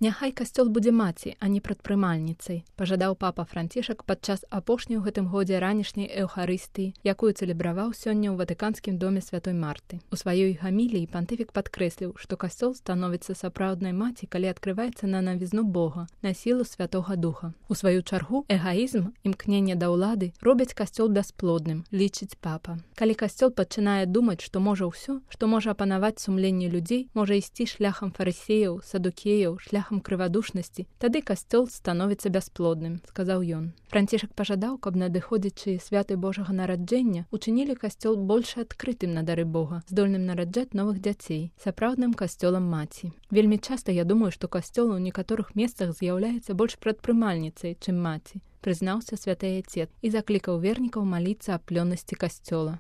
Няхай касцёл будзе маці, а не прадпрымальніцай, пажадаў папа Францішак падчас апошняй у гэтым годзе ранішняй эўхарыстыі, якую цэлебраваў сёння ў Ватыканскім доме святой Марты. У сваёй гаміліі пантыфік падкрэсліў, што касцёл становіцца сапраўднай маці, калі адкрываецца на навізну Бога, на сілу Святога Духа. У сваю чаргу, эгаізм, імкненне да ўлады робяць касцёл бясплодным, лічыць папа. Калі касцёл пачынае думаць, што можа ўсё, што можа апанаваць сумленне людзей, можа ісці шляхам фарысеяў, садукеяў, шляхам крывадушнасці, тады касцёл становіцца бясплодным, сказаў ён. Францішак пажадаў, каб надыходзячыя святы Божага нараджэння учынілі касцёл больш адкрытым на дары Бога, здольным нараджаць новых дзяцей, сапраўдным касцёлам маці. Вельмі часта я думаю, што касцёл у некаторых месцах з'яўляецца больш прадпрымальніцай, чым маці, прызнаўся святы Айцец і заклікаў вернікаў маліцца аб плённасці касцёла.